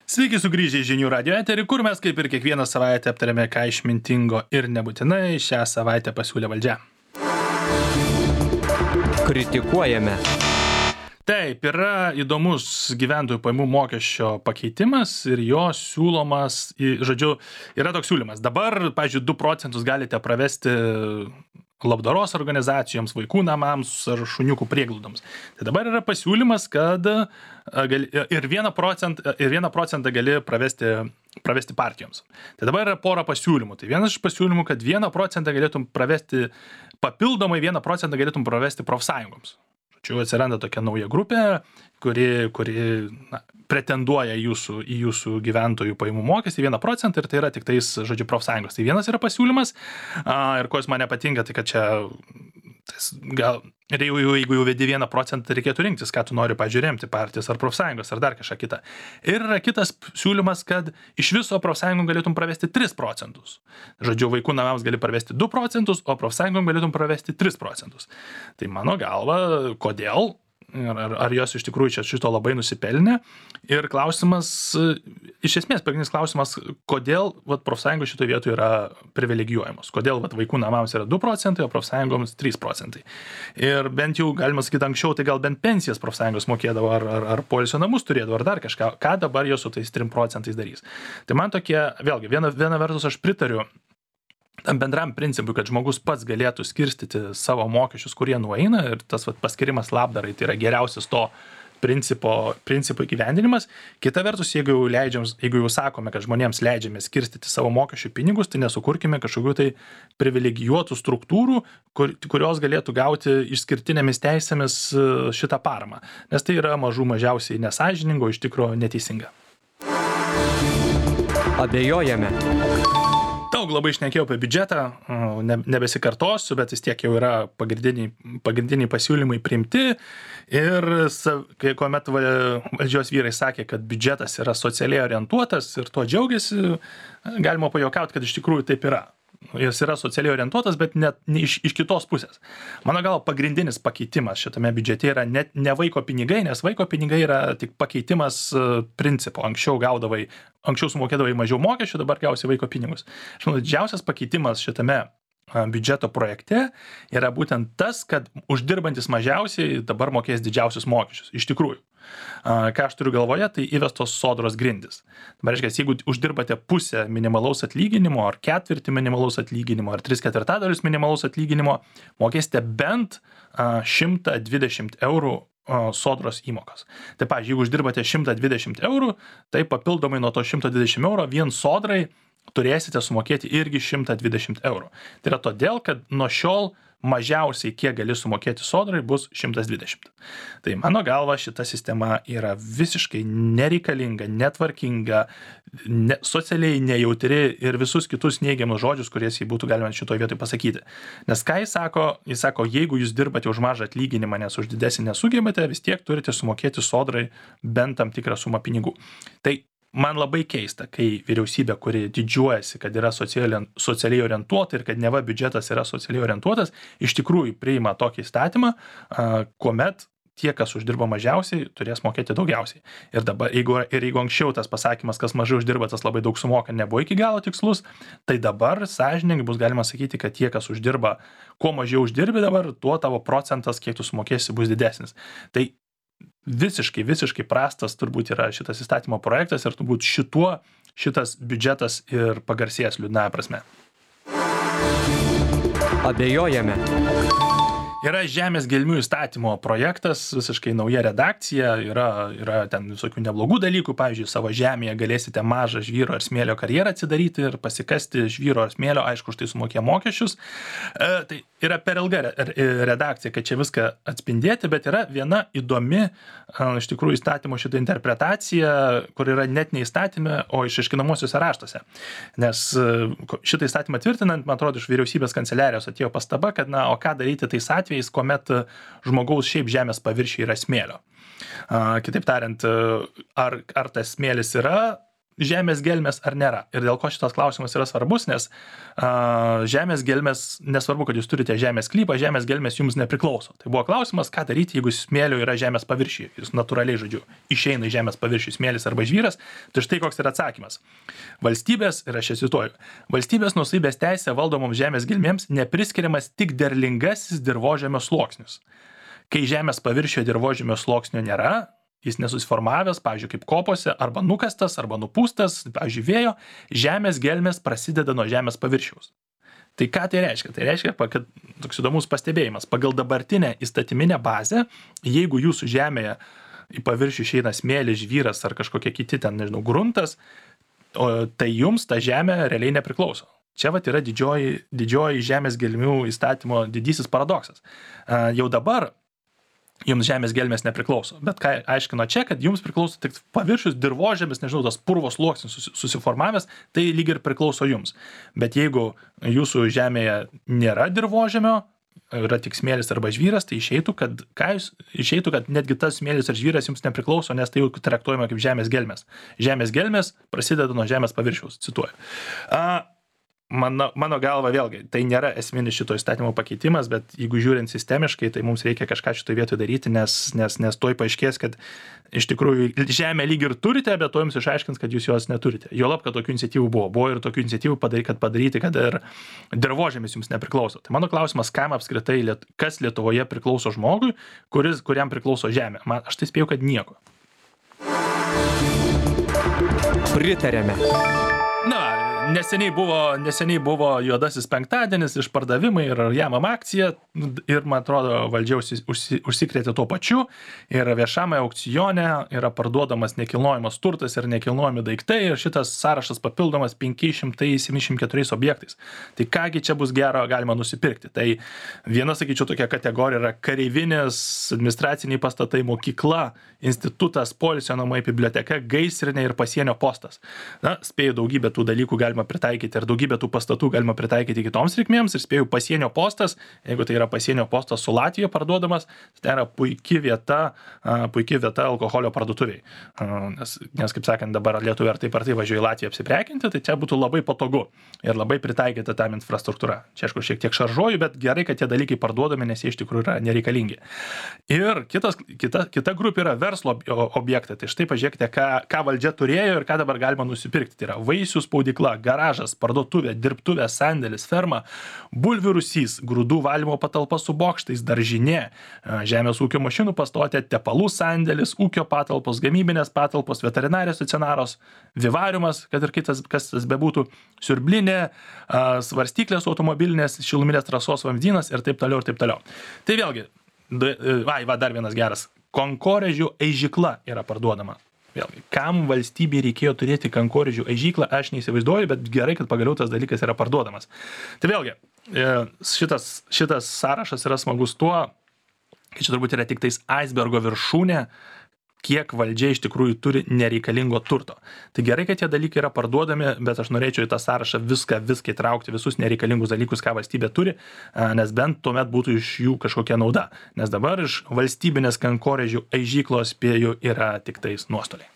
Sveiki sugrįžę į žinių radio eterį, kur mes kaip ir kiekvieną savaitę aptarėme, ką išmintingo ir nebūtinai šią savaitę pasiūlė valdžia. Kritikuojame. Taip, yra įdomus gyventojų pajamų mokesčio pakeitimas ir jo siūlomas, žodžiu, yra toks siūlymas. Dabar, pavyzdžiui, 2 procentus galite pravesti labdaros organizacijoms, vaikų namams ar šuniukų prieglaudoms. Tai dabar yra pasiūlymas, kad ir 1 procentą gali pravesti partijoms. Tai dabar yra pora pasiūlymų. Tai vienas iš pasiūlymų, kad 1 procentą galėtum pravesti, papildomai 1 procentą galėtum pravesti profsąjungoms. Čia atsiranda tokia nauja grupė, kuri pretenduoja į jūsų gyventojų pajamų mokestį 1 procentą ir tai yra tik tais, žodžiu, profsąjungos. Tai vienas yra pasiūlymas ir ko jis man nepatinka, tai kad čia gal, ir jeigu jau vedi 1 procentą, reikėtų rinktis, ką tu nori, pavyzdžiui, remti partijas ar profsąjungos ar dar kažką kitą. Ir yra kitas siūlymas, kad iš viso profsąjungom galėtum pravesti 3 procentus. Žodžiu, vaikų namams gali pravesti 2 procentus, o profsąjungom galėtum pravesti 3 procentus. Tai mano galva, kodėl? Ar jos iš tikrųjų čia šito labai nusipelnė? Ir klausimas, iš esmės, pagrindinis klausimas, kodėl profsąjungos šitoje vietoje yra privilegijuojamos? Kodėl vaikų namams yra 2 procentai, o profsąjungoms 3 procentai? Ir bent jau, galima sakyti, anksčiau, tai gal bent pensijas profsąjungos mokėdavo, ar poilsio namus turėdavo, ar dar kažką. Ką dabar jos su tais 3 procentais darys? Tai man tokie, vėlgi, viena vertus aš pritariu tam bendram principui, kad žmogus pats galėtų skirstyti savo mokesčius, kurie nueina, ir tas paskirimas labdarai tai yra geriausias to principo įgyvendinimas. Kita vertus, jeigu jau sakome, kad žmonėms leidžiame skirstyti savo mokesčių pinigus, tai nesukurkime kažkokių tai privilegijuotų struktūrų, kurios galėtų gauti išskirtinėmis teisėmis šitą paramą. Nes tai yra mažiausiai nesąžiningo, iš tikro neteisinga. Abejojame. Daug labai šnekėjau apie biudžetą, nebesikartosiu, bet vis tiek jau yra pagrindiniai pasiūlymai priimti ir kuomet valdžios vyrai sakė, kad biudžetas yra socialiai orientuotas ir tuo džiaugiasi, galima pajuokauti, kad iš tikrųjų taip yra. Jis yra socialiai orientuotas, bet net iš kitos pusės. Mano gal pagrindinis pakeitimas šitame biudžete yra net ne vaiko pinigai, nes vaiko pinigai yra tik pakeitimas principo. Anksčiau sumokėdavai mažiau mokesčių, dabar gausi vaiko pinigus. Aš manau, didžiausias pakeitimas šitame biudžeto projekte yra būtent tas, kad uždirbantis mažiausiai dabar mokės didžiausius mokesčius. Iš tikrųjų. Ką aš turiu galvoje, tai įvestos sodros grindys. Dabar reiškia, jeigu uždirbate pusę minimalaus atlyginimo, ar ketvirtį minimalaus atlyginimo, ar 3/4 minimalaus atlyginimo, mokėsite bent 120 eurų sodros įmokos. Tai, pavyzdžiui, jeigu uždirbate 120 eurų, tai papildomai nuo to 120 eurų vien sodrai turėsite sumokėti irgi 120 eurų. Tai yra todėl, kad nuo šiol mažiausiai, kiek gali sumokėti sodrai, bus 120. Tai mano galva šita sistema yra visiškai nereikalinga, netvarkinga, socialiai nejautri ir visus kitus neigiamus žodžius, kuriais jį būtų galima šitoje vietoje pasakyti. Nes ką jis sako? Jis sako, jeigu jūs dirbate už mažą atlyginimą, nes už didesnį nesugebate, vis tiek turite sumokėti sodrai bent tam tikrą sumą pinigų. Tai man labai keista, kai vyriausybė, kuri didžiuojasi, kad yra socialiai orientuota ir kad neva biudžetas yra socialiai orientuotas, iš tikrųjų priima tokį įstatymą, kuomet tie, kas uždirba mažiausiai, turės mokėti daugiausiai. Ir jeigu anksčiau tas pasakymas, kas mažai uždirba, tas labai daug sumoka, nebuvo iki galo tikslus, tai dabar sąžiningai bus galima sakyti, kad tie, kas uždirba, kuo mažiau uždirbi dabar, tuo tavo procentas, kiek tu sumokėsi, bus didesnis. Tai visiškai prastas turbūt yra šitas įstatymo projektas ir turbūt šitas biudžetas ir pagarsės liūdnąja prasme. Abejojame. Yra žemės gelmių įstatymo projektas, visiškai nauja redakcija, yra ten visokių neblogų dalykų, pavyzdžiui, savo žemėje galėsite mažą žvyro ar smėlio karjerą atsidaryti ir pasikasti žvyro ar smėlio, aišku, už tai sumokė mokesčius. Tai yra per ilga redakcija, kad čia viską atspindėti, bet yra viena įdomi, iš tikrųjų, įstatymo šitą interpretaciją, kur yra net ne įstatyme, o išaiškinamosiuose raštuose. Nes šitą įstatymą tvirtinant, man atrodo, iš vyriausybės kanceliarijos atėjo pastaba, kad, o ką daryti tais atvejais, kuomet žmogaus šiaip žemės paviršiai yra smėlio. Kitaip tariant, ar tas smėlis yra žemės gelmės ar nėra. Ir dėl ko šitas klausimas yra svarbus, nes žemės gelmės, nesvarbu, kad jūs turite žemės sklypą, žemės gelmės jums nepriklauso. Tai buvo klausimas, ką daryti, jeigu smėlio yra žemės paviršiuje. Jis natūraliai, žodžiu, išeina į žemės paviršių smėlis arba žvyras. Tai štai koks yra atsakymas. Valstybės, ir aš cituoju, valstybės nuosavybės teisė valdomoms žemės gelmėms nepriskiriamas tik derlingasis dirvožemio sluoksnis. Kai žemės paviršiuje dirvožemio sluoksnio nėra, jis nesusiformavęs, pavyzdžiui, kaip kopose, arba nukastas, arba nupūstas, pavyzdžiui, vėjo, žemės gelmės prasideda nuo žemės paviršiaus. Tai ką tai reiškia? Tai reiškia, kad toks įdomus pastebėjimas. Pagal dabartinę įstatyminę bazę, jeigu jūsų žemėje į paviršių išeina smėlis, žvyras ar kažkokie kiti ten, nežinau, gruntas, tai jums ta žemė realiai nepriklauso. Čia vat yra didžioji žemės gelmių įstatymo didysis paradoksas. Jau dabar jums žemės gelmės nepriklauso. Bet ką aiškino čia, kad jums priklauso tik paviršius, dirvožemis, nežinau, tas purvos sluoksnis susiformavęs, tai lyg ir priklauso jums. Bet jeigu jūsų žemėje nėra dirvožemio, yra tik smėlis arba žvyras, tai išeitų, kad netgi tas smėlis ar žvyras jums nepriklauso, nes tai jau traktuojama kaip žemės gelmės. Žemės gelmės prasideda nuo žemės paviršiaus, cituoju. Mano galva vėlgi, tai nėra esminis šito įstatymo pakeitimas, bet jeigu žiūrint sistemiškai, tai mums reikia kažką šitoje vietoje daryti, nes toj paaiškės, kad iš tikrųjų žemę lyg ir turite, bet to jums išaiškins, kad jūs jos neturite. Juolab, kad tokių iniciatyvų buvo ir tokių iniciatyvų padaryti, kad ir dirvožemis jums nepriklauso. Tai mano klausimas, kam apskritai, kas Lietuvoje priklauso žmogui, kuriam priklauso žemė. Aš tai spėjau, kad nieko. Pritarėme. Neseniai buvo juodasis penktadienis, išpardavimai ir jamam akcija ir, man atrodo, valdžia užsikrėtė tuo pačiu ir viešame aukcione yra parduodamas nekilnojamas turtas ir nekilnojami daiktai ir šitas sąrašas papildomas 574 objektais. Tai kągi čia bus gero galima nusipirkti. Tai viena, sakyčiau, tokia kategorija yra kareivinės, administraciniai pastatai, mokykla, institutas, poilsio namai, biblioteka, gaisrinė ir pasienio postas. Spėju, daugybę tų dalykų galima pritaikyti ir daugybę tų pastatų galima pritaikyti kitoms reikmėms ir spėjau pasienio postas, jeigu tai yra pasienio postas su Latvija parduodamas, tai yra puikia vieta alkoholio parduotuviai. Nes kaip sakant, dabar lietuviai ar taip važiuoja į Latviją apsiprekinti, tai čia būtų labai patogu ir labai pritaikyta tam infrastruktūra. Čia aišku šiek tiek šaržuoju, bet gerai, kad tie dalykai parduodami, nes jie iš tikrųjų yra nereikalingi. Ir kita grupė yra verslo objektai. Tai štai pažiūrėkite, ką valdžia turėjo ir ką dabar galima nusipirkti. Tai yra vaisių spaudykla, garažas, parduotuvė, dirbtuvė, sandėlis, ferma, bulvių rūsys, grūdų valymo patalpa su bokštais, daržinė, žemės ūkio mašinų pastotė, tepalų sandėlis, ūkio patalpos, gamybinės patalpos, veterinarijos stacionaros, vivariumas, kad ir kas tas bebūtų, siurblinė, svarstyklės automobilinės, šiluminės trasos vamzdynas ir taip toliau ir taip toliau. Tai vėlgi, dar vienas geras, kankorėžių aižykla yra parduodama. Vėlgi, kam valstybei reikėjo turėti kankorėžių aižyklą, aš neįsivaizduoju, bet gerai, kad pagaliau tas dalykas yra parduodamas. Tai vėlgi, šitas sąrašas yra smagus tuo, kad čia turbūt yra tik tais icebergo viršūnė, kiek valdžia iš tikrųjų turi nereikalingo turto. Tai gerai, kad tie dalykai yra parduodami, bet aš norėčiau į tą sąrašą viską įtraukti, visus nereikalingus dalykus, ką valstybė turi, nes bent tuomet būtų iš jų kažkokia nauda. Nes dabar iš valstybinės kankorėžių aižyklos spėju yra tik tais nuostoliai.